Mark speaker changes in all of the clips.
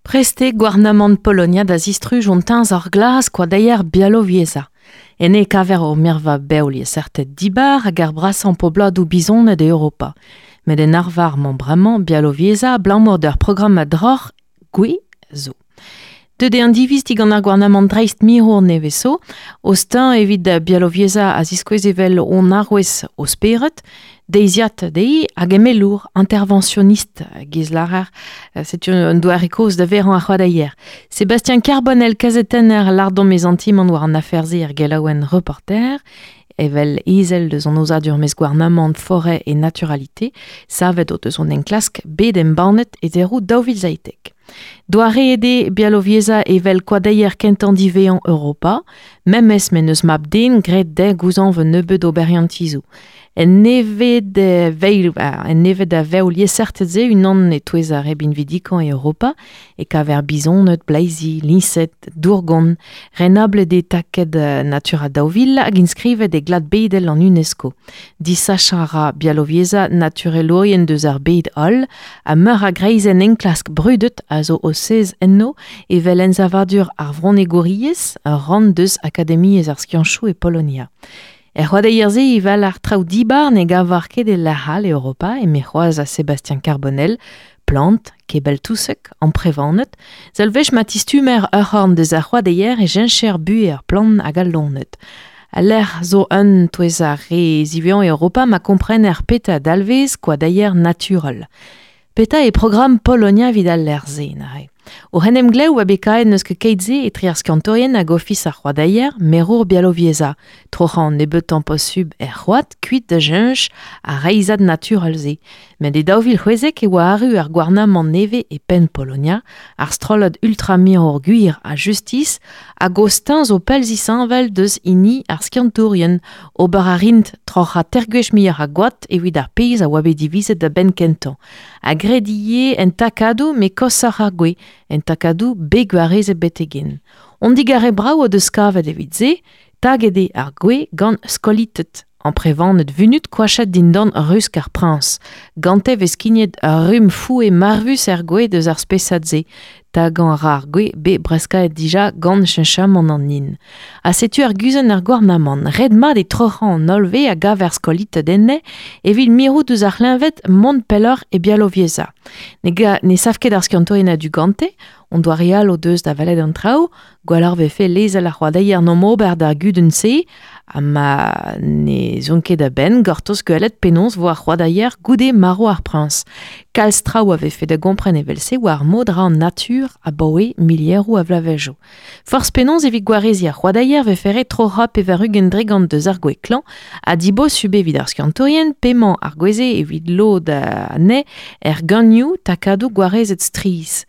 Speaker 1: Prest eo gouarnamant Polonia da zistruj an teñzor glas koadeier Bialowieza. Enne e kaver ur mirva bev liesseurted dibar hag ar brasañ pobladoù bizoned e Europa. Met en arvar 'mañ bremañ Bialowieza abalamour d'ur programm a droc'h gwez zo. Deuet eo an diviz digant ar gouarnamant dreistmirour nevez zo, o steuñv evit Bialowieza a ziskouez evel hon arouez o spered, deiziad dezhi hag emellour, interventionniste giz lârer. Setu un doare kozh da verañ ar c'hoadeier. Sébastien Carbonel, kazetenner lardomp e santimant war an afer-se er gelaouenn Reporter, evel ezel deus an aozadur maez-gouarnamant Forêt et Naturalité, savet o deus hon enklask bet embannet e deroù 2017. Doareet eo Bialowieza evel koadeier kentañ diwezhañ Europa, memes m'en deus mab-den graet dezhañ gouzañv un nebeud oberiantizoù. En neved en neved a vev liesseurted-se unan e-touez ar re binvidikañ e Europa e kaver bizoned, bleizi, liñsed, dourgon, renablet eo taked Natura 2000 hag inskrivet e glad bedel an UNESCO. Disachañ a ra Bialowieza naturelourien deus ar bed holl ha meur a greizenn enklask brudet a zo o sez enno evel ensavadur ar vronegouriezh, ur rann deus Akademiezh ar skianchoù e Polonia. Er c'hoadeier-se e val ar traoù dibar ne gavar ket e lec'h all e Europa, eme c'hoazh a Sébastien Carbonel, plant, kebell-touseg, amprevaned. Seul wech ma tistumer ur c'horn deus ar c'hoadeier e cheñcher buhez ar plant hag al loened. Al lec'h zo un touez ar re ziwezhañ e Europa ma komprener petra dalvez koadeier naturel. Petra eo programm Polonia evit al lec'h-se neuze? O c'henemglev oa bet kaet n'eus ket keit-se etre ar skiantourien hag Ofis ar c'hoadeier, merour Bialowieza. Troc'hañ an nebeutañ posubl er c'hoad kuit da cheñch ar reizhad naturel-se. Met e 2016 e oa arru ar gouarnamant nevez e penn Polonia, ar strollad ultramirour Gwir ha Justis, hag o steuñv zo pell zisheñvel deus hini ar skiantourien. Ober a rint troc'hañ teir gwech muioc'h a goad evit ar pezh a oa bet divizet da benn kentañ. Ha graet ivez en takadoù met koshoc'h ar gwez, en takadoù bet gwarezet betek-henn. Hon digarez brav o deus kavet evit se, taget eo ar gwez gant skolited, amprevaned vunut koachet dindan rusk ar priñs. Gante 'vez skignet ur rumm foue marvus er gwez deus ar spesad-se. Tagañ a ra ar gwez bet breskaet dija gant cheñchamant an hin. Ha setu arguzenn ar gouarnamant. Ret-mat eo troc'hañ an holl wez a gaver skolited enne evit mirout ouzh ar c'hleñved mont pelloc'h e Bialowieza. Ne, ne sav ket ar skiantourien a-du gante, on doare all o deus da welet an traoù, Gwelloc'h 'vefe lezel ar c'hoadeier 'n ober d'ar gudenn-se ha ma ne zon ket a-benn gortoz gwelet penaos 'vo ar c'hoadeier goude marv ar priñs. Kalz traoù a vefe da gompren evel-se war mod ra an natur abaoe milieroù a vloavezhioù. Forzh penaos evit gwareziñ ar c'hoadeier 'vefe ret troc'hañ 80% deus ar gwez klañv ha dibosubl evit ar skiantourien p'emañ ar gwez-se evit lod anezhe er ganioù takadoù gwarezet strizh.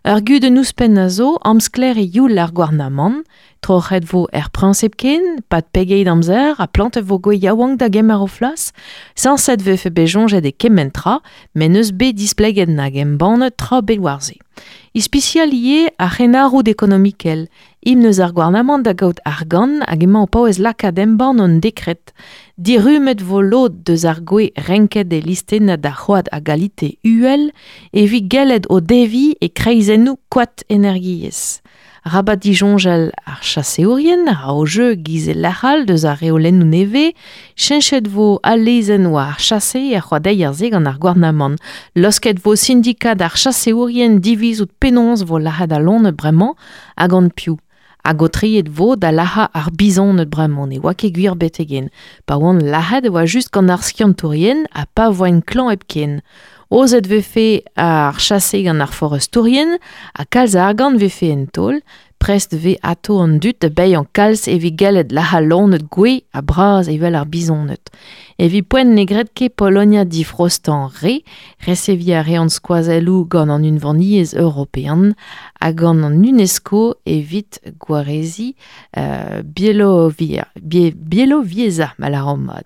Speaker 1: Ur gudenn ouzhpenn a zo, amsklaer eo youl ar gouarnamant. Troc'het 'vo er priñs hepken, 'pad pegeit amzer, ha plantet 'vo gwez yaouank da gemer o flas. Sañset 'vefe bet soñjet e kement tra, met n'eus bet displeget nag embannet tra ebet war se. Ispisial ivez ar c'henarroud ekonomikel. Himn eus ar gouarnamant da gaout argant hag emañ o paouez lakaat embann an dekred. Dirummet 'vo lod deus ar gwez renket e listennad ar c'hoad a galite uhel evit gellet o deviñ e kreizennoù koad energiezh. Rabat disoñjal ar chaseourien a ra o jeu giz e lec'h all deus ar reolennoù nevez. Cheñchet 'vo al lezenn war ar chase er c'hoadeier-se gant ar gouarnamant. Laosket 'vo sindikad ar chaseourien divizout penaos 'vo lac'het al loened bremañ ha gant piv. Hag aotreet 'vo da lac'hañ ar bizoned bremañ ne oa ket gwir betek-henn. Pa oant lac'het e oa just gant ar skiantourien ha pa voent klañv hepken. Aozet 'vefe ar chase gant ar forestourien ha kalz a argant 'vefe en taol. Prest 'vez atao an dud da baeañ kalz evit gellet lac'hañ loened gouez ha bras evel ar bizoned. Evit poent ne gred ket Polonia difrostañ re, reseviñ a reont skoazelloù gant an Unvaniezh european ha gant an UNESCO evit gwareziñ Bielovieza ma lâran mat.